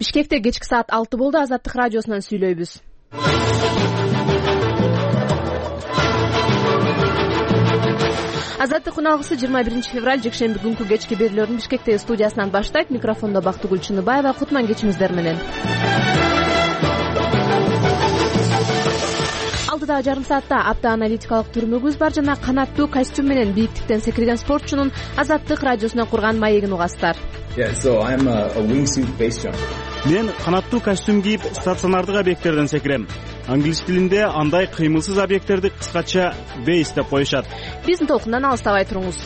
Бишкекте кечки саат 6 болду. Азаттык радиосунан сүйлөйбүз. Азаттык үналгысы 21 февраль жекшемби күнкү кечки берүүлөрдүн Бишкектеги студиясынан баштайт. Микрофондо Бактыгүл Чыныбаева. Кутман кечиңиздер менен. Алдыдагы жарым саатта апта аналитикалык түрмөгүбүз бар жана канаттуу костюм менен бийиктиктен секирген спортчунун Азаттык радиосунан курган маегин угасыздар. Мен канаттуу костюм кийип стационардык объекттерден секирем. Англис тилинде андай кыймылсыз объекттерди кыскача бейс деп коюшат. Биздин толкундан алыстабай туруңуз.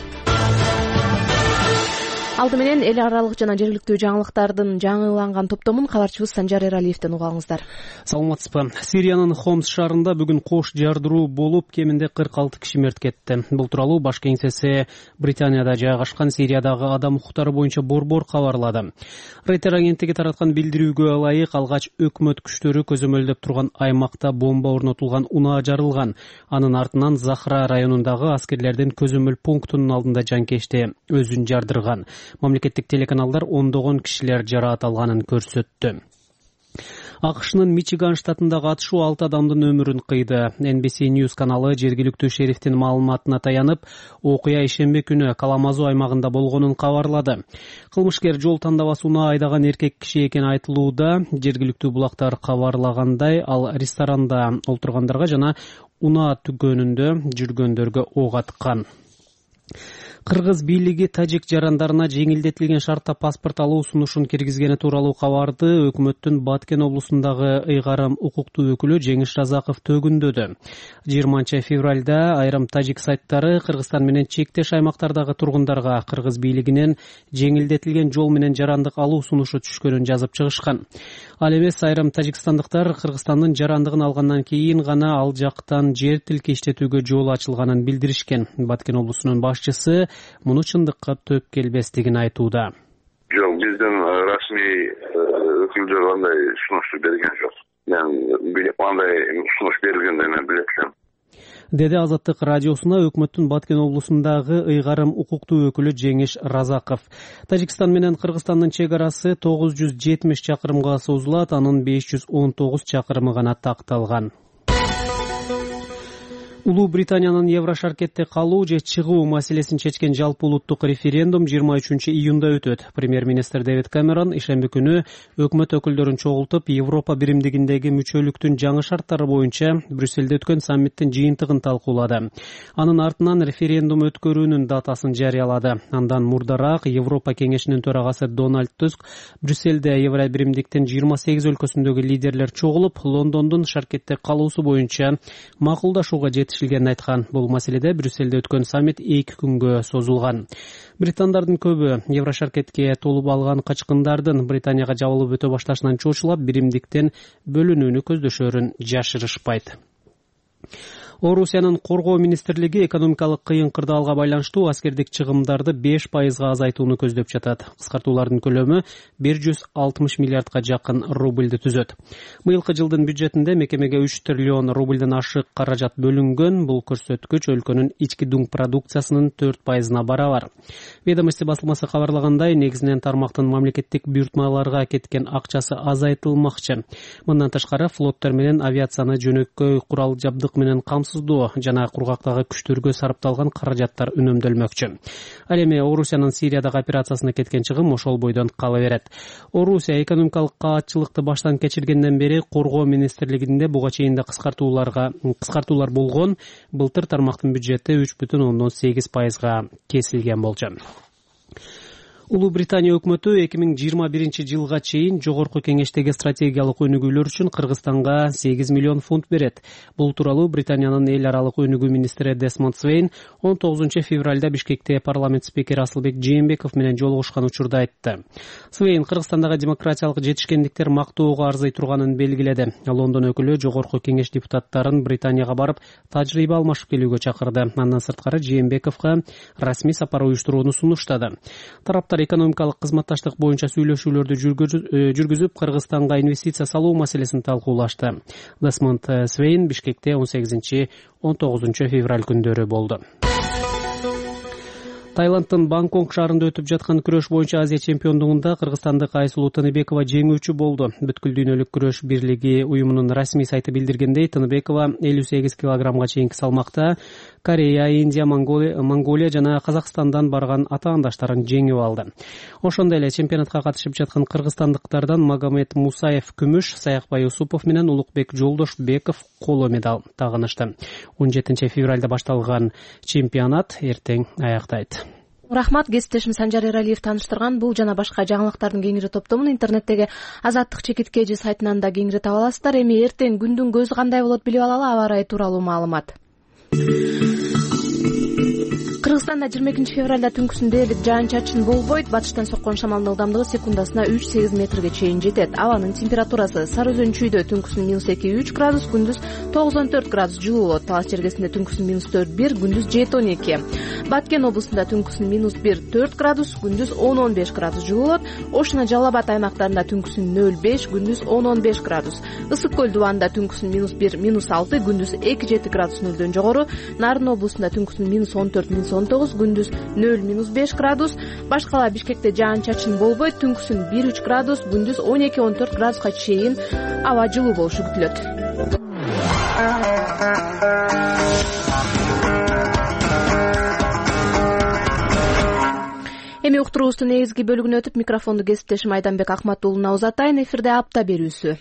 Алды менен эл аралык жана жергиликтүү жаңылыктардын жаңыланган топтомун кабарчыбыз Санжар Эралиевден угаңыздар. Саламатсызбы. Сириянын Хомс шаарында бүгүн кош жардыруу болуп, кеминде 46 киши мерт кетти. Бул тууралуу баш кеңсеси Британияда жайгашкан Сириядагы адам укуктары боюнча борбор кабарлады. Рейтер агенттиги тараткан билдирүүгө ылайык, алгач өкмөт күчтөрү көзөмөлдөп турган аймакта бомба орнотулган унаа жарылган. Анын артынан Захра районундагы аскерлердин көзөмөл пунктунун алдында жанкечти өзүн жардырган. Мамлекеттик телеканалдар ондогон кишилер жараат алганын көрсөттү. АКШнын Мичиган штатындагы атышуу 6 адамдын өмүрүн кыйды. NBC News каналы жергиликтүү шерифтин маалыматына таянып, окуя ишемби күнү Каламазу аймагында болгонун кабарлады. Кылмышкер жол тандабас унаа айдаган эркек киши экени айтылууда. Жергиликтүү булактар кабарлагандай, ал ресторанда олтургандарга жана унаа түгөнүндө жүргөндөргө ок аткан. Кыргыз бийлиги тажик жарандарына жеңилдетилген шартта паспорт алуу сунушун киргизгени тууралуу кабарды өкмөттүн Баткен облусундагы ыйгарым укуктуу өкүлү Жеңиш Разаков төгүндөдү. 20 февралда айрым тажик сайттары Кыргызстан менен чектеш аймактардагы тургундарга кыргыз бийлигинен жеңилдетилген жол менен жарандык алуу сунушу түшкөнүн жазып чыгышкан. Ал эмес, айрым тажикстандыктар Кыргызстандын жарандыгын алгандан кийин гана ал жактан жер тилке иштетүүгө жол ачылганын билдиришкен. Баткен облусунун башчысы муну чындыкка төп келбестигин айтууда. Жок, биздин расмий өкүлдөр андай сунушту берген жок. Мен билип андай сунуш берилгенден мен билет элем. Деди Азаттык радиосуна өкмөттүн Баткен облусундагы ыйгарым укуктуу өкүлү Жеңиш Разаков. Тажикстан менен Кыргызстандын чек арасы 970 чакырымга созулат, анын 519 чакырымы гана такталган. Улуу Британиянын Еврошаркетте калуу же чыгуу маселесин чечкен жалпы улуттук референдум 23 июнда өтөт. Премьер-министр Дэвид Камерон ишемби күнү өкмөт өкүлдөрүн чогултуп, Европа биримдигиндеги мүчөлүктүн жаңы шарттары боюнча Брюссельде өткөн саммиттин жыйынтыгын талкуулады. Анын артынан референдум өткөрүүнүн датасын жарыялады. Андан мурдараак Европа кеңешинин төрагасы Дональд Туск Брюссельде Евро биримдиктин 28 өлкөсүндөгү лидерлер чогулуп, Лондондун шаркетте калуусу боюнча макулдашууга жетишилгенин айткан. Бул маселеде Брюссельде өткөн саммит 2 күнгө созулган. Британдардын көбү Еврошаркетке толуп алган качкындардын Британияга жабылып өтө башташынан чочулап, биримдиктен бөлүнүүнү көздөшөрүн жашырышпайт. Орусиянын коргоо министрлиги экономикалык кыйын кырдаалга байланыштуу аскердик чыгымдарды 5% азайтууну көздөп жатат. Кыскартуулардын көлөмү 160 миллиардга жакын рубльди түзөт. Быйылкы жылдын бюджетинде мекемеге 3 триллион рубльден ашык каражат бөлүнгөн. Бул көрсөткүч өлкөнүн ички дуң продукциясынын 4%-на барабар. Ведомости басылмасы кабарлагандай, негизинен тармактын мамлекеттик буйртмаларга кеткен акчасы азайтылмакчы. Мындан тышкары флоттор менен авиацияны жөнөкөй курал жабдык менен жана кургактагы күчтөргө сарпталган каражаттар үнөмдөлмөкчү. Ал эми Орусиянын Сириядагы операциясына кеткен чыгым ошол бойдон кала берет. Орусия экономикалык каатчылыкты баштан кечиргенден бери коргоо министрлигинде буга чейин да кыскартуулар болгон. Былтыр тармактын бюджети 3,8%га кесилген болчу. Улуу Британия өкмөтү 2021 жылга чейин жогорку кеңештеги стратегиялык өнүгүүлөр үчүн Кыргызстанга 8 миллион фунт берет. Бул тууралуу Британиянын эл аралык өнүгүү министри Десмонд Свейн 19 февралда Бишкекте парламент спикери Асылбек Жээнбеков менен жолугушкан учурда айтты. Свейн Кыргызстандагы демократиялык жетишкендиктер мактоого арзый турганын белгиледи. Лондон өкүлү жогорку кеңеш депутаттарын Британияга барып, тажрыйба алмашып келүүгө чакырды. Андан сырткары Жээнбековго расмий сапар уюштурууну сунуштады. Тараптар экономикалык кызматташтык боюнча сүйлөшүүлөрдү жүргүзүп, Кыргызстанга инвестиция салуу маселесин талкуулашты. Десмонд Свейн Бишкекте 18-19 февраль күндөрү болду. Таиланддын Бангкок шаарында өтүп жаткан күрөш боюнча Азия чемпиондугунда кыргызстандык Айсулуу Тыныбекова жеңүүчү болду. Бүткүл дүйнөлүк күрөш бирлиги уюмунун расмий сайты билдиргендей, Тыныбекова 58 килограммга чейинки салмакта Корея, Индия, Монголия жана Казакстандан барган атаандаштарын жеңип алды. Ошондой эле чемпионатка катышып жаткан кыргызстандыктардан Магомед Мусаев күмүш, Саякбай Усупов менен Улукбек Жолдошбеков коло медаль тагынышты. 17 февралда башталган чемпионат эртең аяктайт. Рахмат, кесиптешим Санжар Эралиев тааныштырган бул жана башка жаңылыктардын кеңири топтомун интернеттеги Азаттык чекиткежи сайтынан да кеңири таба аласыздар. Эми эртең күндүн көзү кандай болот билип алалы, аба ырайы тууралуу маалымат. Кыргызстанда 22 февралда түнкүсүн дээрлик жаан-чачын болбойт. Батыштан соккон шамалдын ылдамдыгы секундасына 3-8 метрге чейин жетет. Абанын температурасы Сары Өзөн чүйдө түнкүсүн -2-3 градус, күндүз 9-14 градус жылуу болот. Талас жергесинде түнкүсүн -4-1, күндүз 7-12. Баткен облусунда түнкүсүн -1-4 градус, күндүз 10-15 градус жылуу болот. Ош жана Жалал Абад аймактарында түнкүсүн 0-5, күндүз 10-15 градус. Ысык көл дубанында түнкүсүн -1-6, күндүз 2-7 градус нөлдөн жогору. Нарын облусунда түнкүсүн -14-19, күндүз 0-5 градус. Башкала Бишкекте жаан-чачын болбойт, түнкүсүн 1-3 градус, күндүз 12-14 градуска чейин аба жылуу болушу күтүлөт. Эми уктуруубуздун негизги бөлүгүнө өтүп, микрофонду кесиптешим Айданбек Акматуулуна узатайын. Эфирде апта берүүсү.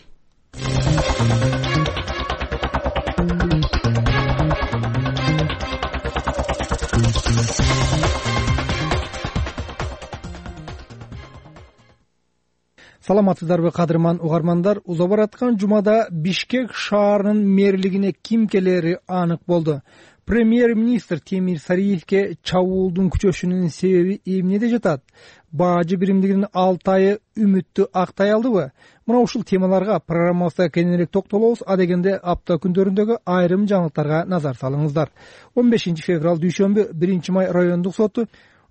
Саламатсыздарбы, кадырман угармандар? Уза бараткан жумада Бишкек шаарынын мэрлигине ким келери анык болду. Премьер-министр Темир Сариевке чабуулдун күчөшүнүн себеби эмнеде жатат? Бажы биримдигинин 6 айы үмүттү актай алдыбы? Мына ушул темаларга программабызда кененирээк токтолобуз. Адегенде апта күндөрүндөгү айрым жаңылыктарга назар салыңыздар. 15 февраль дүйшөмбү 1 май райондук соту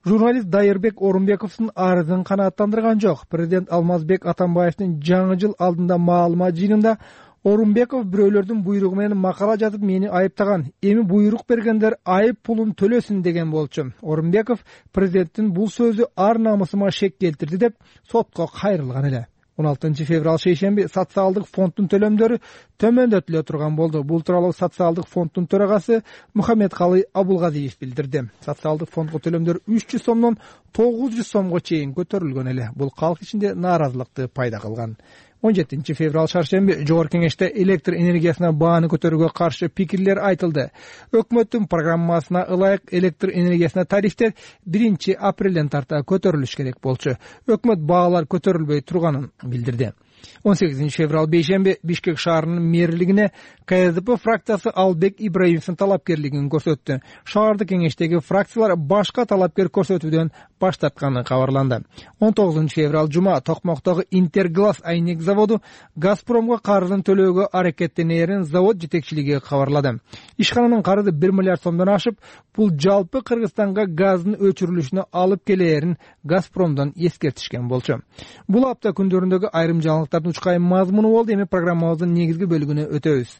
журналист Дайырбек Орунбековдун арызын канааттандырган жок. Президент Алмазбек Атамбаевдин жаңы жыл алдында маалымат жыйынында Орунбеков бирөөлөрдүн буйругу менен макала жазып мени айыптаган. Эми буйрук бергендер айып пулун төлөсүн деген болчу. Орунбеков президенттин бул сөзү ар намысыма шек келтирди деп сотко кайрылган эле. 16 февраль шейшемби социалдык фонддун төлөмдөрү төмөндөтүлө турган болду. Бул тууралуу социалдык фонддун төрагасы Мухаммедкалый Абулгазиев билдирди. Социалдык фондго төлөмдөр 300 сомдон 900 сомго чейин көтөрүлгөн эле. Бул калк ичинде нааразылыкты пайда кылган. 17 февраль шаршемби Жогорку Кеңеште электр энергиясына бааны көтөрүүгө каршы пикирлер айтылды. Өкмөттүн программасына ылайык электр энергиясына тарифтер 1 апрелден тарта көтөрүлүш керек болчу. Өкмөт баалар көтөрүлбөй турганын билдирди. 18 февраль бейшемби Бишкек шаарынын мэрлигине КСДП фракциясы Албек Ибраимовдун талапкерлигин көрсөттү. Шаардык кеңештеги фракциялар башка талапкер көрсөтүүдөн баш тартканы кабарланды. 19 февраль жума Токмоктогу Интерглаз айнек заводу Газпромго карызын төлөөгө аракеттенерин завод жетекчилиги кабарлады. Ишкананын карызы 1 миллиард сомдон ашып, бул жалпы Кыргызстанга газдын өчүрүлүшүнө алып келээрин Газпромдон эскертишкен болчу. Бул апта күндөрүндөгү айрым жаңылыктардын учкай мазмуну болду. Эми программабыздын негизги бөлүгүнө өтөбүз.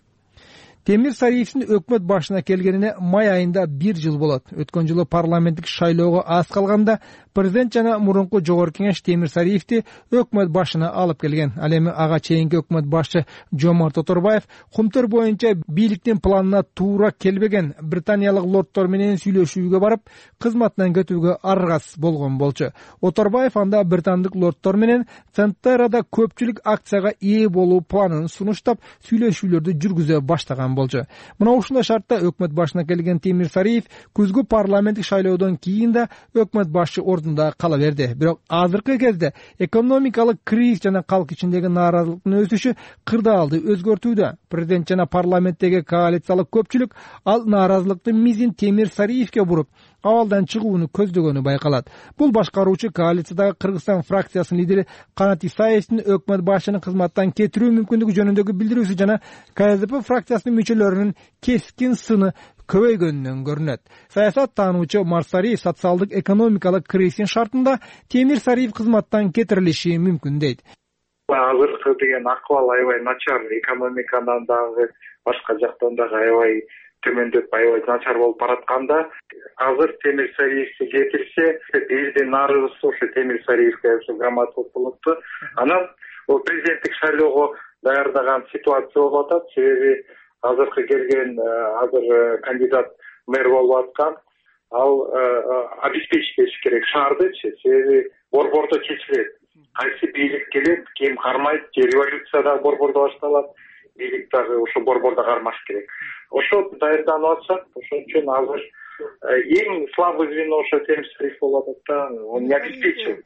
Темир Сариевдин өкмөт башына келгенине май айында 1 жыл болот. Өткөн жылы парламенттик шайлоого аз калганда президент жана мурунку Жогорку Кеңеш Темир Сариевди өкмөт башына алып келген. Ал эми ага чейинки өкмөт башы Жомарт Оторбаев кумтөр боюнча бийликтин планына туура келбеген британиялык лордтор менен сүйлөшүүгө барып, кызматынан кетүүгө аргасыз болгон болчу. Оторбаев анда британдык лордтор менен Центерада көпчүлүк акцияга ээ болуу планын сунуштап, сүйлөшүүлөрдү жүргүзө баштаган болчу. Мына ушундай шартта өкмөт башына келген Темир Сариев күзгү парламенттик шайлоодон кийин да өкмөт башы ордунда кала берди. Бирок азыркы кезде экономикалык кризис жана калк ичиндеги нааразылыктын өсүшү кырдаалды өзгөртүүдө. Президент жана парламенттеги коалициялык көпчүлүк ал нааразылыктын мизин Темир Сариевке буруп, абалдан чыгууну көздөгөнү байкалат. Бул башкаруучу коалициядагы Кыргызстан фракциясынын лидери Канат Исаевдин өкмөт башчынын кызматтан кетирүү мүмкүндүгү жөнүндөгү билдирүүсү жана КСДП фракциясынын мүчөлөрүнүн кескин сыны көбөйгөнүнөн көрүнөт. Саясат таануучу Марсари социалдык экономикалык кризистин шартында Темир Сариев кызматтан кетирилиши мүмкүн дейт. Азыркы деген акыбал аябай начар, экономикадан дагы башка жактан дагы аябай төмөндөп аябай начар болуп баратканда азыр Темир Сариевди кетирсе, элдин нарыгысы ошо Темир Сариевге громадалык болупту. Анан президенттик шайлоого даярдаган ситуация болуп атат. Себеби азыркы келген азыр кандидат мэр болуп аткан, ал обеспечить этиш керек шаардычы. Себеби борбордо чечилет. Кайсы бийлик келет, ким кармайт, революция да борбордо башталат. Бийлик дагы ошо борбордо кармаш керек. Ошо даярданып атышат. Ошон үчүн азыр эң слабый звено ошо Темир Сариев болуп атат да, он не обеспечивает.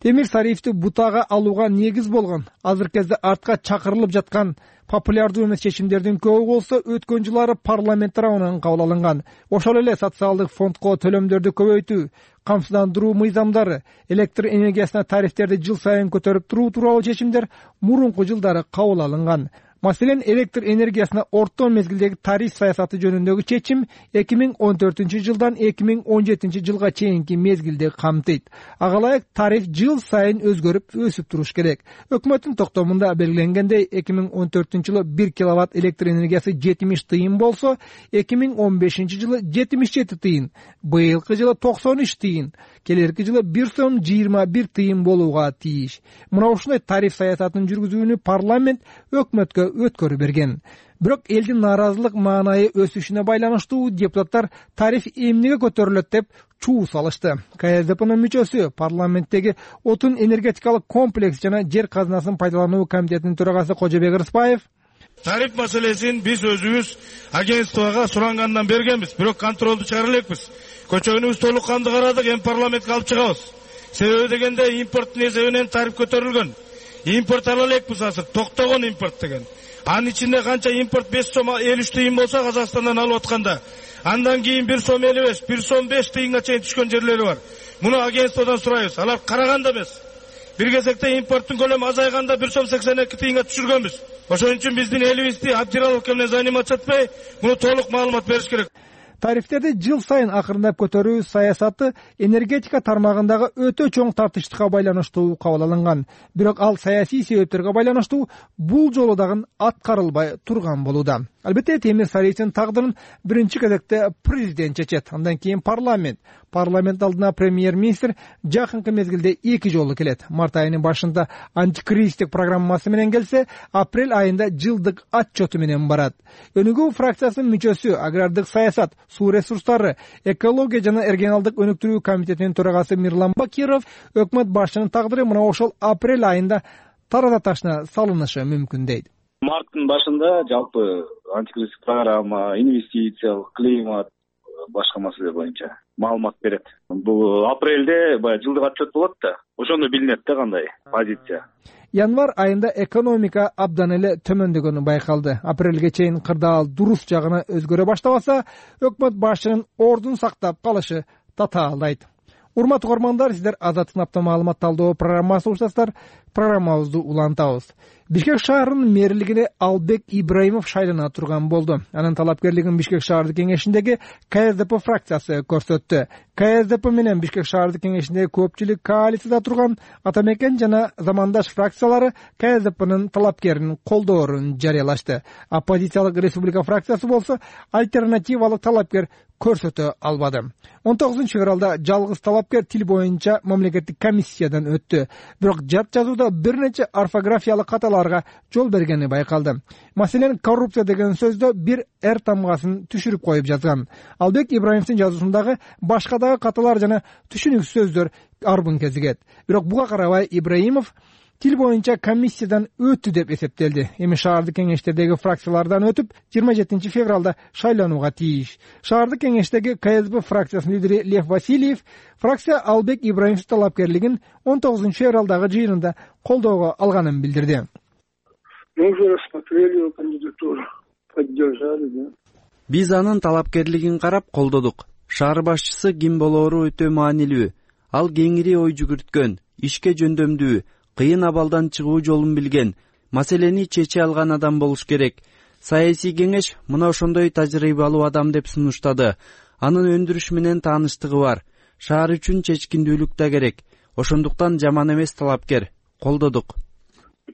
Темир Сариевди бутага алууга негиз болгон азыркы кезде артка чакырылып жаткан популярдуу эмес чечимдердин көбү болсо өткөн жылдары парламент тарабынан кабыл алынган. Ошол эле социалдык фондко төлөмдөрдү көбөйтүү, камсыздандыруу мыйзамдары, электр энергиясына тарифтерди жыл сайын көтөрүп туруу тууралуу чечимдер мурунку жылдары кабыл алынган. Маселен, электр энергиясына орто мезгилдеги тариф саясаты жөнүндөгү чечим 2014 жылдан 2017 жылга чейинки мезгилди камтыйт. Ага ылайык тариф жыл сайын өзгөрүп, өсүп туруш керек. Өкмөттүн токтомунда белгиленгендей 2014 жылы 1 киловатт электр энергиясы 70 тыйын болсо, 2015 жылы 77 тыйын, быйылкы жылы 93 тыйын, келерки жылы 1 сом 21 тыйын болууга тийиш. Мына ушундай тариф саясатын жүргүзүүнү парламент өкмөткө өткөрүп берген. Бирок элдин нааразылык маанайы өсүшүнө байланыштуу депутаттар тариф эмнеге көтөрүлөт деп чуу салышты. КСДПнын мүчөсү, парламенттеги отун энергетикалык комплекс жана жер казынасын пайдалануу комитетинин төрагасы Кожобек Рыспаев тариф маселесин биз өзүбүз агентствого сурангандан бергенбиз, бирок контролду чыгара элекпиз. Көчөгүнүбүз толук канды карадык, эми парламентке алып чыгабыз. Себеби дегенде импорттун эсебинен тариф көтөрүлгөн. Импорт ала элекпиз азыр, токтогон импорт деген. Анын ичинде канча импорт 5 сом 53 тыйын болсо Казакстандан алып атканда, андан кийин 1 сом 55, 1 сом 5 тыйынга чейин түшкөн жерлери бар. Муну агентстводон сурайбыз. Алар караганда эмес. Бир кезекте импорттун көлөмү азайганда 1 сом 82 тыйынга түшүргөнбүз. Ошон үчүн биздин элибизди Абдираловка менен заниматься этпей, муну толук маалымат бериш керек. Тарифтерди жыл сайын акырындап көтөрүү саясаты энергетика тармагындагы өтө чоң тартыштыкка байланыштуу кабыл алынган. Бирок ал саясий себептерге байланыштуу бул жолу дагы аткарылбай турган болууда. Албетте, Темир Сариевдин тагдырын биринчи кезекте президент чечет, андан кийин парламент. Парламент алдына премьер-министр жакынкы мезгилде 2 жолу келет. Март айынын башында антикризистик программасы менен келсе, апрель айында жылдык отчету менен барат. Өнүгүү фракциясынын мүчөсү, агрардык саясат, суу ресурстары, экология жана регионалдык өнүктүрүү комитетинин төрагасы Мирлан Бакиров өкмөт башчынын тагдыры мына ошол апрель айында тарата ташына салынышы мүмкүн дейт. Марттын башында жалпы антикризистик программа, инвестициялык климат, башка маселе боюнча маалымат берет. Бул апрелде баягы жылдык отчет болот да, ошондо билинет да кандай позиция. Январь айында экономика абдан эле төмөндөгөнү байкалды. Апрелге чейин кырдаал дурус жагына өзгөрө баштабаса, өкмөт башчынын ордун сактап калышы татаалдайт. Урматтуу угармандар, сиздер Азаттык апта маалымат талдоо программасын угушасыздар. Программабызды улантабыз. Бишкек шаарынын мэрлигине Албек Ибраимов шайлана турган болду. Анын талапкерлигин Бишкек шаардык кеңешиндеги КСДП фракциясы көрсөттү. КСДП менен Бишкек шаардык кеңешиндеги көпчүлүк коалицияда турган Атамекен жана Замандаш фракциялары КСДПнын талапкерин колдоорун жарыялашты. Оппозициялык Республика фракциясы болсо альтернативалык талапкер көрсөтө албады. 19 февралда жалгыз талапкер тил боюнча мамлекеттик комиссиядан өттү. Бирок жат жазууда бир нече орфографиялык каталарга жол бергени байкалды. Маселен, коррупция деген сөздө бир эр тамгасын түшүрүп коюп жазган. Албек Ибраимовдун жазуусундагы башка дагы каталар жана түшүнүксүз сөздөр арбын кезигет. Бирок буга карабай Ибраимов тил боюнча комиссиядан өттү деп эсептелди. Эми шаардык кеңештердеги фракциялардан өтүп 27 февралда шайланууга тийиш. Шаардык кеңештеги КСДП фракциясынын лидери Лев Васильев фракция Албек Ибраимовдун талапкерлигин 19 февралдагы жыйынында колдоого алганын билдирди. Мы уже рассмотрели его кандидатуру, поддержали, да. Биз анын талапкерлигин карап колдодук. Шаар башчысы ким болоору өтө маанилүү. Ал кеңири ой жүгүрткөн, ишке жөндөмдүү, кыйын абалдан чыгуу жолун билген, маселени чече алган адам болуш керек. Саясий кеңеш мына ошондой тажрыйбалуу адам деп сунуштады. Анын өндүрүш менен тааныштыгы бар. Шаар үчүн чечкиндүүлүк да керек. Ошондуктан жаман эмес талапкер. Колдодук.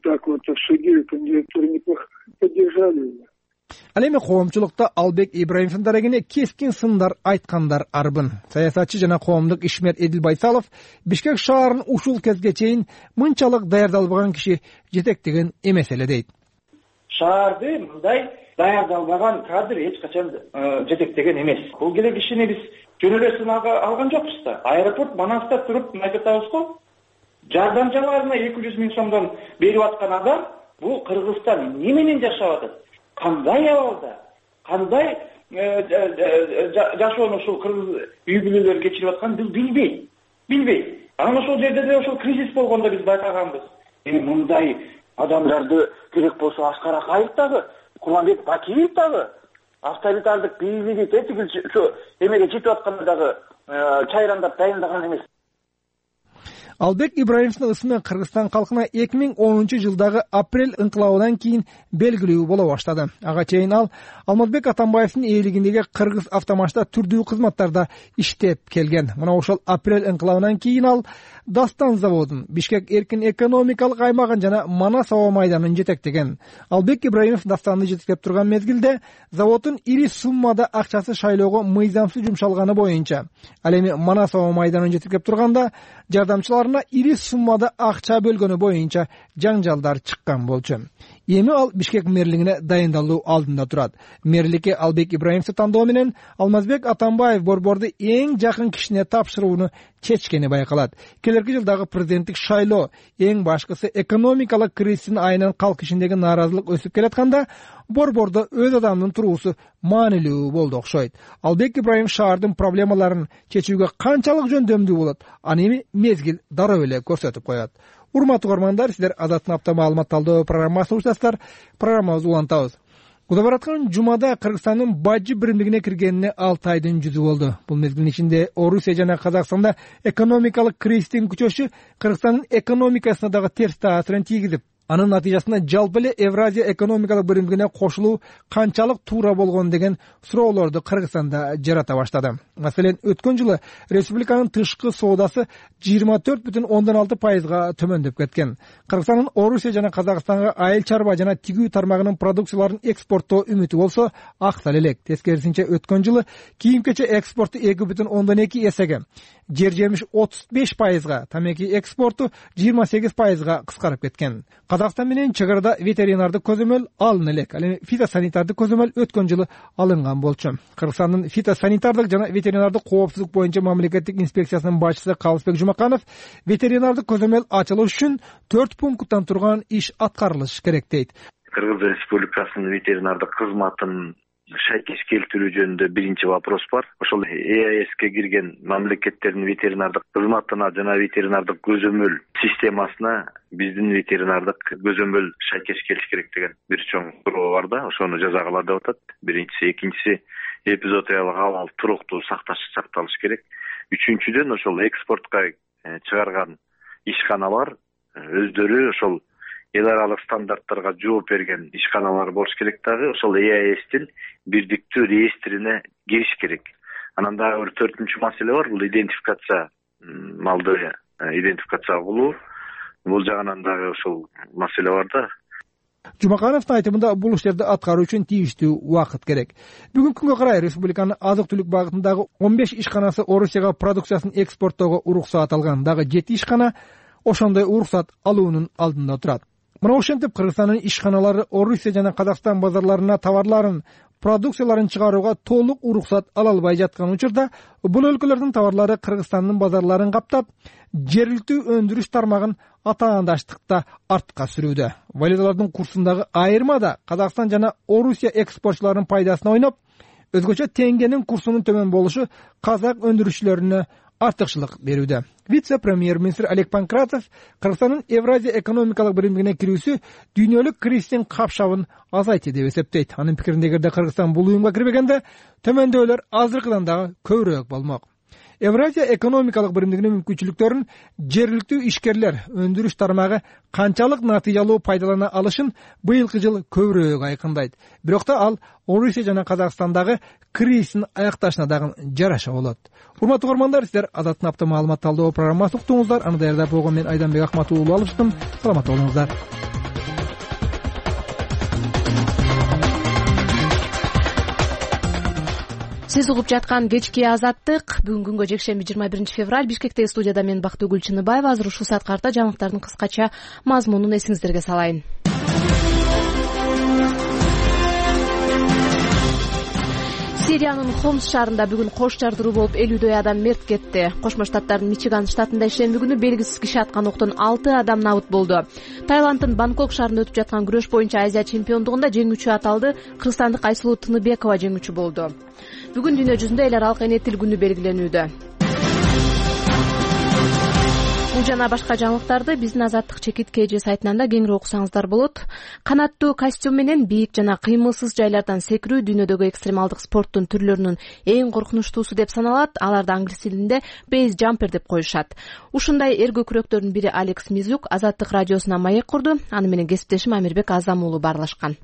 Так вот, обсудили, кандидатуру неплохо поддержали. Ал эми коомчулукта Албек Ибраимовдун дарегине кескин сындар айткандар арбын. Саясатчы жана коомдук ишмер Эдил Байсалов Бишкек шаарын ушул кезге чейин мынчалык даярдалбаган киши жетектеген эмес эле дейт. Шаарды мындай даярдалбаган кадр эч качан жетектеген эмес. Бул келе кишини биз жөн эле сынакка алган жокпуз да. Аэропорт Манаста туруп айтып атабыз го. Жардамчыларына 200 000 сомдон берип аткан адам бул Кыргызстан эмне менен жашап атат? Кандай абалда, кандай жашоону ушул кыргыз үй бүлөлөр кечирип атканын биз билбейт. Анан ошол жерде деле ошол кризис болгондо биз байкаганбыз. Мындай адамдарды керек болсо Аскар Акаев дагы, Курманбек Бакиев дагы, авторитардык бийлиги тетигил эмеге жетип атканда дагы чайрандап дайындаган эмес. Албек Ибраимовдун ысымы Кыргызстан калкына 2010-жылдагы апрель ыңкылабынан кийин белгилүү боло баштады. Ага чейин ал Алмазбек Атамбаевдин ээлигиндеги Кыргыз автомашта түрдүү кызматтарда иштеп келген. Мына ошол апрель ыңкылабынан кийин ал Дастан заводун, Бишкек эркин экономикалык аймагын жана Манас аба майданын жетектеген. Албек Ибраимов Дастанды жетектеп турган мезгилде заводдун ири суммада акчасы шайлоого мыйзамсыз жумшалганы боюнча, ал эми Манас аба майданын жетектеп турганда жардамчыларына ири суммада акча бөлгөнү боюнча жаңжалдар чыккан болчу. Эми ал Бишкек мэрлигине дайындалуу алдында турат. Мэрликке Албек Ибраимовду тандоо менен Алмазбек Атамбаев борборду эң жакын кишине тапшырууну чечкени байкалат. Келерки жылдагы президенттик шайлоо эң башкысы экономикалык кризистин айынан калк ишиндеги нааразылык өсүп келатканда борбордо өз адамдын туруусу маанилүү болду окшойт. Албек Ибраимов шаардын проблемаларын чечүүгө канчалык жөндөмдүү болот, аны эми мезгил дароо эле көрсөтүп коет. Урматтуу угармандар, сиздер Азаттын апта маалымат талдоо программасын уктасыздар. Программабызды улантабыз. Куда бараткан жумада Кыргызстандын бажы биримдигине киргенине 6 айдын жүзү болду. Бул мезгилдин ичинде Орусия жана Казакстанда экономикалык кризистин күчөшү Кыргызстандын экономикасына дагы терс таасирин тийгизип, анын натыйжасында жалпы эле Евразия экономикалык биримдигине кошулуу канчалык туура болгон деген суроолорду Кыргызстанда жарата баштады. Маселен, өткөн жылы республиканын тышкы соодасы 24,6%га төмөндөп кеткен. Кыргызстандын Орусия жана Казакстанга айыл чарба жана тигүү тармагынын продукцияларын экспорттоо үмүтү болсо аксал элек. Тескерисинче өткөн жылы кийим-кече экспорту 2,2 эсеге, жер жемиш 35%га, тамеки экспорту 28%га кыскарып кеткен. Казакстан менен чек арада ветеринардык көзөмөл алына элек. Ал эми фитосанитардык көзөмөл өткөн жылы алынган болчу. Кыргызстандын фитосанитардык жана ветеринардык коопсуздук боюнча мамлекеттик инспекциясынын башчысы Калысбек Жумаканов ветеринардык көзөмөл ачылыш үчүн 4 пункттан турган иш аткарылыш керек дейт. Кыргыз Республикасынын ветеринардык кызматын шайкеш келтирүү жөнүндө биринчи вопрос бар. Ошол ЕАЭСке кирген мамлекеттердин ветеринардык кызматына жана ветеринардык көзөмөл системасына биздин ветеринардык көзөмөл шайкеш келиш керек деген бир чоң суроо бар да, ошону жазагыла деп атат. Биринчиси, экинчиси эпизоотиялык абал туруктуу сакталыш керек. Үчүнчүдөн ошол экспортко чыгарган ишканалар өздөрү ошол эл аралык стандарттарга жооп берген ишканалар болуш керек дагы, ошол ЕАЭСтин бирдиктүү реестрине кириш керек. Анан дагы бир 4-чү маселе бар, бул идентификация, малды идентификация кылуу. Бул жагынан дагы ошол маселе бар да. Жумакановдун айтымында бул иштерди аткаруу үчүн тийиштүү убакыт керек. Бүгүнкү күнгө карай республиканын азык-түлүк багытындагы 15 ишканасы Орусияга продукциясын экспорттоого уруксаат алган, дагы 7 ишкана ошондой уруксат алуунун алдында турат. Мына ошентип Кыргызстандын ишканалары Орусия жана Казакстан базарларына товарларын, продукцияларын чыгарууга толук уруксат ала албай жаткан учурда бул өлкөлөрдүн товарлары Кыргызстандын базарларын каптап, жергиликтүү өндүрүш тармагын атаандаштыкта артка сүрүүдө. Валюталардын курсундагы айырма да Казакстан жана Орусия экспортчуларынын пайдасына ойноп, өзгөчө теңгенин курсунун төмөн болушу казак өндүрүшчүлөрүнө артыкчылык берүүдө. Вице-премьер-министр Олег Панкратов Кыргызстандын Евразия экономикалык биримдигине кирүүсү дүйнөлүк кризистин капшабын азайтты деп эсептейт. Анын пикиринде, эгерде Кыргызстан бул уюмга кирбегенде, төмөндөөлөр азыркыдан дагы көбүрөөк болмок. Евразия экономикалык биримдигинин мүмкүнчүлүктөрүн жергиликтүү ишкерлер, өндүрүш тармагы канчалык натыйжалуу пайдалана алышын быйылкы жыл көбүрөөк айкындайт. Бирок да ал Орусия жана Казакстандагы кризистин аякташына дагы жараша болот. Урматтуу угармандар, сиздер Азаттын апта маалымат талдоо программасын уктуңуздар. Аны даярдап койгон мен Айданбек Акматов уулу алыштым. Саламатта болуңуздар. Сиз угуп жаткан кечки Азаттык. Бүгүн күнгө жекшемби 21 февраль. Бишкектеги студияда мен Бактыгүл Чыныбаева. Азыр ушул саат карта жаңылыктардын кыскача мазмунун эсиңиздерге салайын. Сириянын Хомс шаарында бүгүн кош жардыруу болуп 50дөй адам мерт кетти. Кошмо Штаттардын Мичиган штатында ишемби күнү белгисиз киши аткан октон 6 адам набыт болду. Таиланддын Бангкок шаарында өтүп жаткан күрөш боюнча Азия чемпиондугунда жеңүүчү аталды кыргызстандык Айсулуу Тыныбекова жеңүүчү болду. Бүгүн дүйнө жүзүндө эл аралык эне тил күнү белгиленүүдө. Бул жана башка жаңылыктарды биздин Азаттык чекит KG сайтынан да кеңири окусаңыздар болот. Канаттуу костюм менен бийик жана кыймылсыз жайлардан секирүү дүйнөдөгү экстремалдык спорттун түрлөрүнүн эң коркунучтуусу деп саналат. Аларды англис тилинде base jumper деп коюшат. Ушундай эр көкүрөктөрдүн бири Алекс Мизюк Азаттык радиосуна маек курду. Аны менен кесиптешим Амирбек Азам уулу баарлашкан.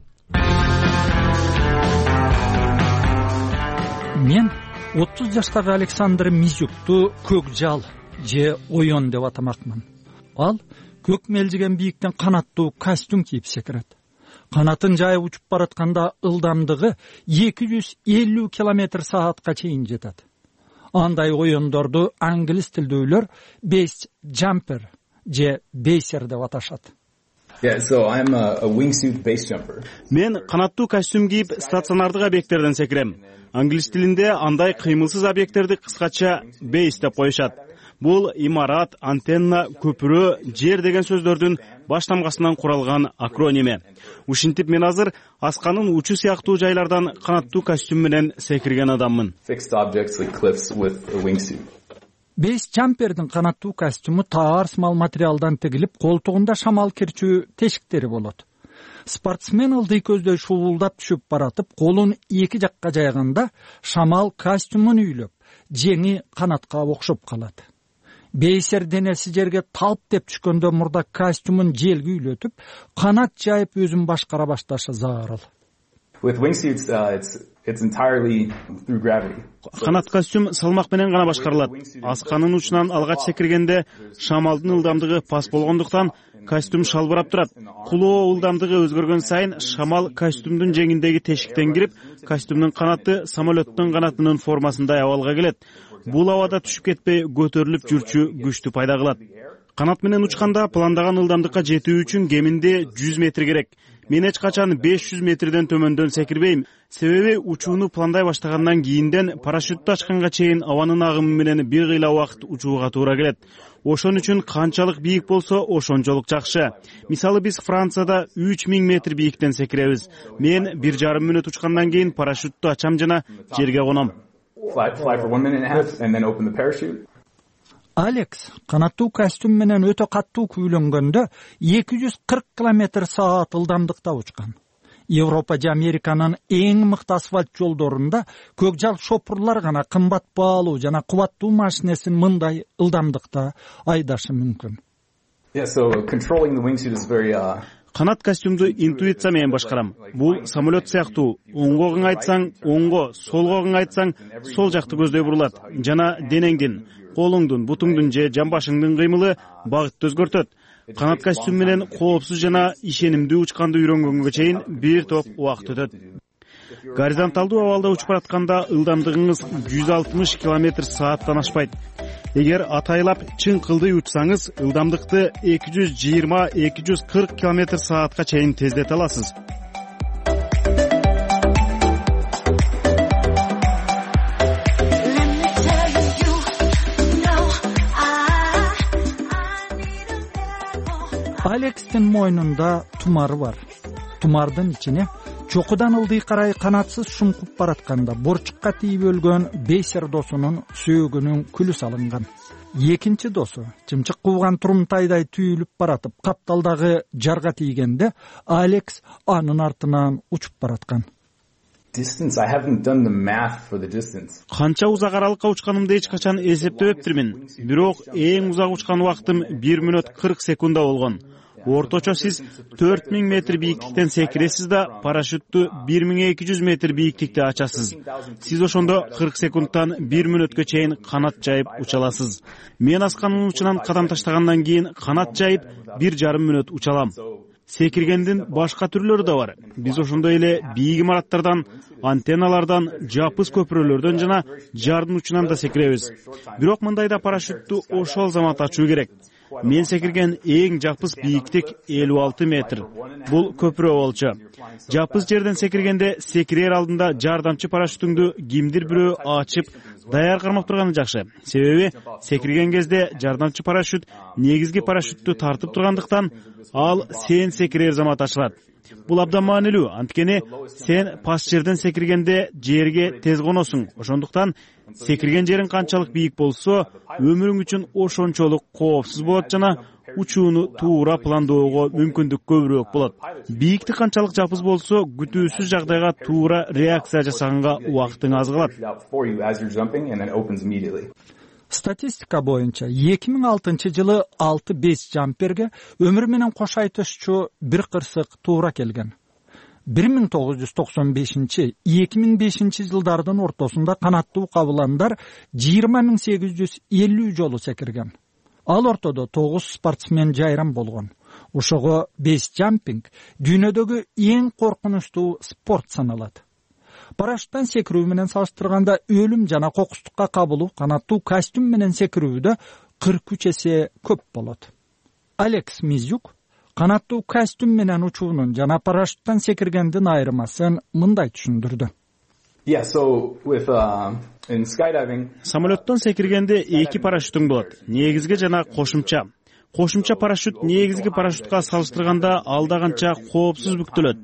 Мен 30 жаштагы Александр Мизюкту көк жал же оён деп атамакмын. Ал көк мелжиген бийиктен канаттуу костюм кийип секирет. Канатын жайып учуп баратканда ылдамдыгы 250 км/саатка чейин жетет. Андай оёндорду англис тилдүүлөр base jumper же бейсер деп аташат. Мен канаттуу костюм кийип стационардык объекттерден секирем. Англис тилинде андай кыймылсыз объекттерди кыскача base деп коюшат. Бул имарат, антенна, көпүрө, жер деген сөздөрдүн баш тамгасынан куралган акроними. Ушинтип мен азыр асканын учу сыяктуу жайлардан канаттуу костюм менен секирген адаммын. Base jumperдин канаттуу костюму таар сымал материалдан тигилип, колтугунда шамал кирчүү тешиктери болот. Спортсмен ылдый көздөй шуулдап түшүп баратып, колун эки жакка жайганда шамал костюмун үйлөп, жеңи канатка окшоп калат. Бейсер денеси жерге талп деп түшкөндө мурда костюмун желге үйлөтүп, канат жайып өзүн башкара башташы зарыл. Канат костюм салмак менен гана башкарылат. Асканын учунан алгач секиргенде шамалдын ылдамдыгы пас болгондуктан костюм шалбырап турат. Кулоо ылдамдыгы өзгөргөн сайын шамал костюмдун жеңиндеги тешиктен кирип, костюмдун канаты самолеттун канатынын формасындай абалга келет. Бул абада түшүп кетпей көтөрүлүп жүрчү күчтү пайда кылат. Канат менен учканда пландаган ылдамдыкка жетүү үчүн кеминде 100 метр керек. Мен эч качан 500 метрден төмөндөн секирбейм. Себеби учууну пландай баштагандан кийинден парашютту ачканга чейин абанын агымы менен бир кыйла убакыт учууга туура келет. Ошон үчүн канчалык бийик болсо ошончолук жакшы. Мисалы биз Францияда 3000 метр бийиктен секиребиз. Мен 1,5 мүнөт учкандан кийин парашютту ачам жана жерге коном. Алекс канаттуу костюм менен өтө каттуу күйлөнгөндө 240 км/саат ылдамдыкта учкан. Европа же Американын эң мыкты асфальт жолдорунда көк жал шопурлар гана кымбат баалуу жана кубаттуу машинесин мындай ылдамдыкта айдашы мүмкүн. Канат костюмду интуиция менен башкарам. Бул самолет сыяктуу. Оңго кыңайтсаң оңго, солго кыңайтсаң сол жакты көздөй бурулат. Жана денеңдин, колуңдун, бутуңдун же жамбашыңдын кыймылы багытты өзгөртөт. Канат костюм менен коопсуз жана ишенимдүү учканды үйрөнгөнгө чейин бир топ убакыт өтөт. Горизонталдуу абалда учуп баратканда ылдамдыгыңыз 160 км/сааттан ашпайт. Эгер атайлап чың кылдый учсаңыз, ылдамдыкты 220-240 км/саатка чейин тездете аласыз. Алекстин мойнунда тумары бар. Тумардын ичине чокудан ылдый карай канатсыз шуңкуп баратканда борчукка тийип өлгөн бейсер досунун сөөгүнүн күлү салынган. Экинчи досу чымчык кууган турумтайдай түйүлүп баратып, капталдагы жарга тийгенде Алекс анын артынан учуп бараткан. Канча узак аралыкка учканымды эч качан эсептебептирмин. Бирок эң узак учкан убактым 1 мүнөт 40 секунда болгон. Орточо сиз 4000 метр бийиктиктен секиресиз да парашютту 1200 метр бийиктикте ачасыз. Сиз ошондо 40 секундтан 1 мүнөткө чейин канат жайып уча аласыз. Мен асканын учунан кадам таштагандан кийин канат жайып 1,5 мүнөт уча алам. секиргендин башка түрлөрү да бар. Биз ошондой эле бийик имараттардан, антенналардан, жапыс көпүрөлөрдөн жана жардын учунан да секиребиз. Бирок мындайда парашютту ошол замат ачуу керек. Мен секирген эң жапыс бийиктик 56 метр. Бул көпүрө болчу. Жапыс жерден секиргенде секирер алдында жардамчы парашютуңду кимдир бирөө ачып, даяр кармап турганы жакшы. Себеби секирген кезде жардамчы парашют негизги парашютту тартып тургандыктан ал сен секирер замат ачылат. Бул абдан маанилүү, анткени сен пас жерден секиргенде жерге тез коносуң. Ошондуктан секирген жериң канчалык бийик болсо, өмүрүң үчүн ошончолук коопсуз болот жана учууну туура пландоого мүмкүндүк көбүрөөк болот. Бийиктик канчалык жапыз болсо, күтүүсүз жагдайга туура реакция жасаганга убактың аз калат. Статистика боюнча 2006 жылы 6-5 жамперге өмүр менен кош айтышчу бир кырсык туура келген. 1995-2005 жылдардын ортосунда канаттуу кабыландар 20.850 жолу секирген. Ал ортодо 9 спортсмен жайрам болгон. Ошого бейс жампинг дүйнөдөгү эң коркунучтуу спорт саналат. Парашюттан секирүү менен салыштырганда өлүм жана кокустукка кабылуу канаттуу костюм менен секирүүдө 43 эсе көп болот. Алекс Мизюк канаттуу костюм менен учуунун жана парашюттан секиргендин айырмасын мындай түшүндүрдү. Самолеттон секиргенде эки парашютуң болот. Негизги жана кошумча. Кошумча парашют негизги парашютка салыштырганда алда канча коопсуз бүктөлөт.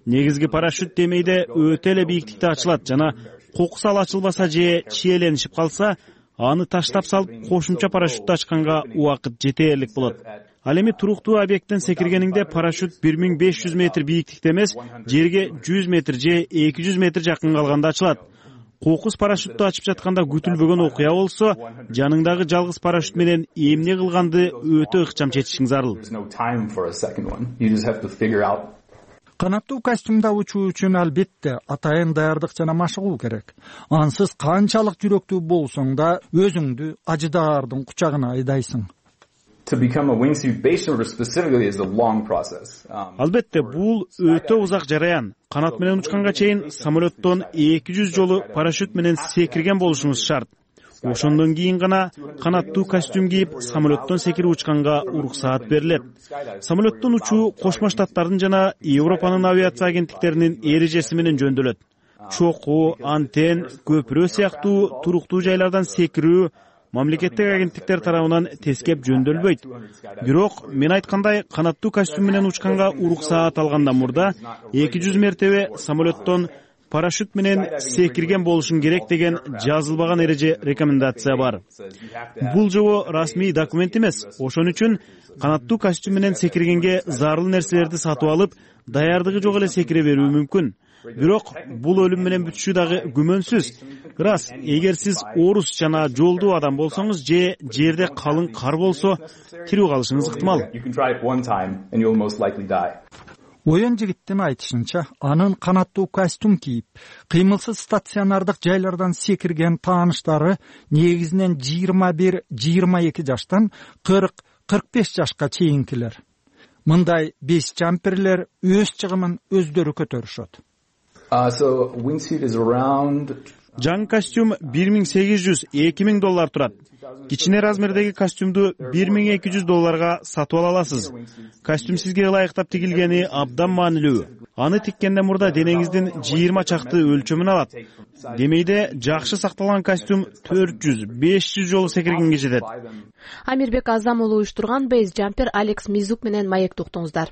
Негизги парашют демейде өтө эле бийиктикте ачылат жана кокусал ачылбаса же чиеленишип калса, аны таштап салып кошумча парашютты ачканга убакыт жетээрлик болот. Ал эми туруктуу объекттен секиргениңде парашют 1500 метр бийиктикте эмес, жерге 100 метр же 200 метр жакын калганда ачылат. Кокус парашютту ачып жатканда күтүлбөгөн окуя болсо, жаныңдагы жалгыз парашют менен эмне кылганды өтө ыкчам чечишиң зарыл. Канаттуу костюмда учуу үчүн албетте атайын даярдык жана машыгуу керек. Ансыз канчалык жүрөктүү болсоң да өзүңдү ажыдаардын кучагына айдайсың. Албетте, бул өтө узак жараян. Канат менен учканга чейин самолеттон 200 жолу парашют менен секирген болушуңуз шарт. Ошондон кийин гана канаттуу костюм кийип, самолеттон секирип учканга уруксаат берилет. Самолеттон учуу Кошмо Штаттардын жана Европанын авиация агенттиктеринин эрежеси менен жөндөлөт. Чокуу, антен, көпүрө сыяктуу туруктуу жайлардан секирүү мамлекеттик агенттиктер тарабынан тескеп жөндөлбөйт. Бирок мен айткандай, канаттуу костюм менен учканга уруксаат алгандан мурда 200 мертебе самолеттон парашют менен секирген болушуң керек деген жазылбаган эреже рекомендация бар. Бул жобо расмий документ эмес. Ошон үчүн канаттуу костюм менен секиргенге зарыл нерселерди сатып алып, даярдыгы жок эле секире берүү мүмкүн. Бирок бул өлүм менен бүтүшү дагы күмөнсүз. Рас, эгер сиз орус жана жолдуу адам болсоңуз же жерде калың кар болсо, тирүү калышыңыз ыктымал. Оюн жигиттин айтышынча, анын канаттуу костюм кийип, кыймылсыз стационардык жайлардан секирген тааныштары негизинен 21-22 жаштан 40-45 жашка чейинкилер. Мындай бейс жамперлер өз чыгымын өздөрү көтөрүшөт. Жаңы костюм $1800-2000 турат. Кичине размердеги костюмду $1200 сатып ала аласыз. Костюм сизге ылайыктап тигилгени абдан маанилүү. Аны тиккенден мурда денеңиздин 20 чакты өлчөмүн алат. Демейде жакшы сакталган костюм 400-500 жолу секиргенге жетет. Амирбек Азам уулу уюштурган бейс жампер Алекс Мизюк менен маекти уктуңуздар.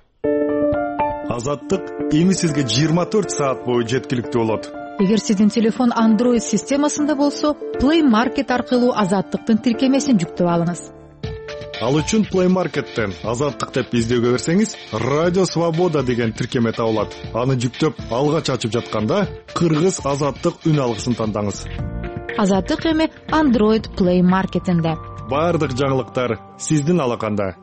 Азаттык эми сизге 24 саат бою жеткиликтүү болот. Эгер сиздин телефон Android системасында болсо, Play Market аркылуу Азаттыктын тиркемесин жүктөп алыңыз. Ал үчүн Play Market'тен Азаттык деп издөөгө берсеңиз, Радио Свобода деген тиркеме табылат. Аны жүктөп, алгач ачып жатканда кыргыз Азаттык үн алгысын тандаңыз. Азаттык эми Android Play Market'инде. Бардык жаңылыктар сиздин алаканда.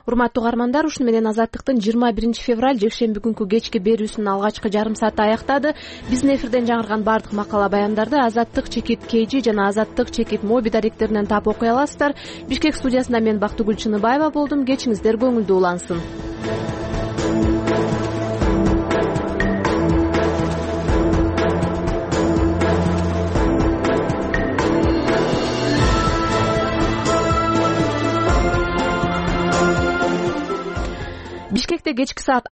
Урматтуу угармандар, ушуну менен Азаттыктын 21 февраль жекшемби күнкү кечки берүүсүнүн алгачкы жарым сааты аяктады. Биздин эфирден жаңырган бардык макала баяндарды Азаттык-KG жана Азаттык-Моби даректеринен таап окуй аласыздар. Бишкек студиясында мен Бактыгүл Чыныбаева болдум. Кечиңиздер көңүлдүү улансын. кечки саат